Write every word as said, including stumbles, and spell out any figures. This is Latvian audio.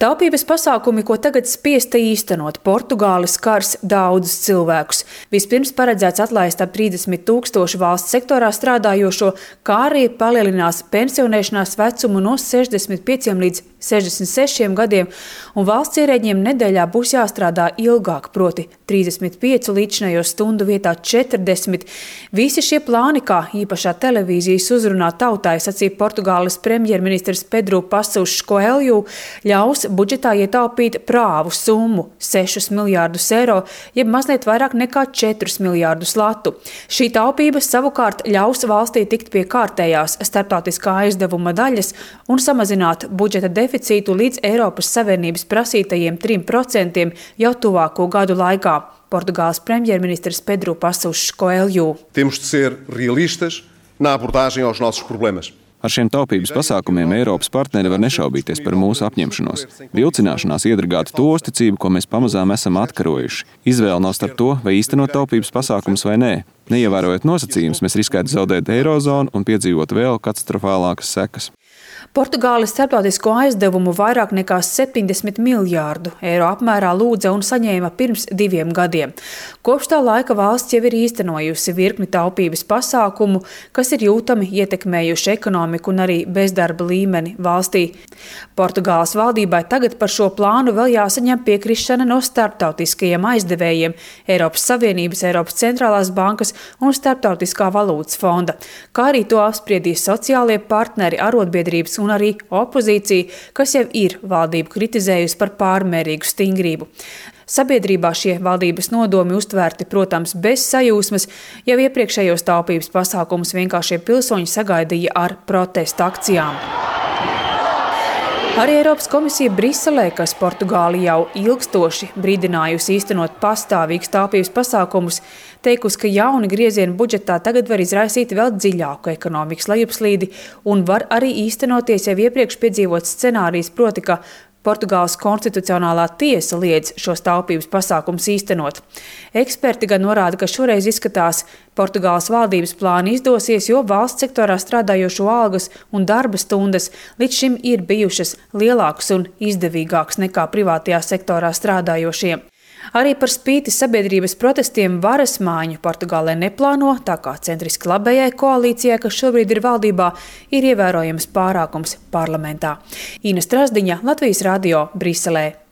Taupības pasākumi, ko tagad spiesta īstenot, Portugāli skars daudzus cilvēkus. Vispirms paredzēts atlaist ap trīsdesmit tūkstoši valsts sektorā strādājošo, kā arī palielinās pensionēšanās vecumu no sešdesmit pieciem līdz sešdesmit sešiem gadiem, un valsts ierēģiem nedēļā būs jāstrādā ilgāk, proti trīsdesmit piecu līdzinējo stundu vietā četrdesmit. Visi šie plāni, kā īpašā televīzijas uzrunā tautai, sacīja Portugāles premjerministrs Pedro Passos Coelho, ļaus budžetā ietaupīt prāvu summu – sešus miljārdus eiro, jeb mazliet vairāk nekā četrus miljārdus latu. Šī taupība savukārt ļaus valstī tikt pie kārtējās starptautiskā aizdevuma daļas un samazināt budžeta deficītu līdz Eiropas Savienības prasītajiem trim procentiem jau tuvāko gadu laikā. Portugāles premjerministrs Pedro Passos Coelho. Temos de ser realistas na abordagem aos nossos problemas. Ar šiem taupības pasākumiem Eiropas partneri var nešaubīties par mūsu apņemšanos. Vilcināšanās iedragātu to uzticību, ko mēs pamazām esam atkarojuši. Izvēle nav starp to, vai īstenot taupības pasākumus vai nē. Neievērojot nosacījumus, mēs riskētu zaudēt eirozonu un piedzīvot vēl katastrofālākas sekas. Portugāles starptautisko aizdevumu vairāk nekā septiņdesmit miljārdu eiro apmērā lūdza un saņēma pirms diviem gadiem. Kopš tā laika valsts jau ir īstenojusi virkni taupības pasākumu, kas ir jūtami ietekmējuši ekonomiku un arī bezdarba līmeni valstī. Portugāles valdībai tagad par šo plānu vēl jāsaņem piekrišana no starptautiskajiem aizdevējiem Eiropas Savienības, Eiropas centrālās bankas un Starptautiskā valūtas fonda, kā arī to apspriedīs sociālie partneri, arotbiedrības un arī opozīcija, kas jau ir valdību kritizējusi par pārmērīgu stingrību. Sabiedrībā šie valdības nodomi uztvērti, protams, bez sajūsmas, jau iepriekšējos taupības pasākumus vienkāršie pilsoņi sagaidīja ar protesta akcijām. Arī Eiropas komisija Briselē, kas Portugāli jau ilgstoši brīdinājusi īstenot pastāvīgus taupības pasākumus, teikusi, ka jauni griezieni budžetā tagad var izraisīt vēl dziļāku ekonomikas lejupslīdi un var arī īstenoties jau iepriekš piedzīvots scenārijs, proti, ka Portugāles konstitucionālā tiesa liedz šos taupības pasākumus īstenot. Eksperti gan norāda, ka šoreiz izskatās Portugāles valdības plāni izdosies, jo valsts sektorā strādājošo algas un darba stundas līdz šim ir bijušas lielākas un izdevīgākas nekā privātajā sektorā strādājošiem. Arī par spīti sabiedrības protestiem varas mājiņu Portugālē neplāno, tā kā centriski labējai koalīcijai, kas šobrīd ir valdībā, ir ievērojams pārākums parlamentā. Ina Strasdiņa, Latvijas radio, Briselē.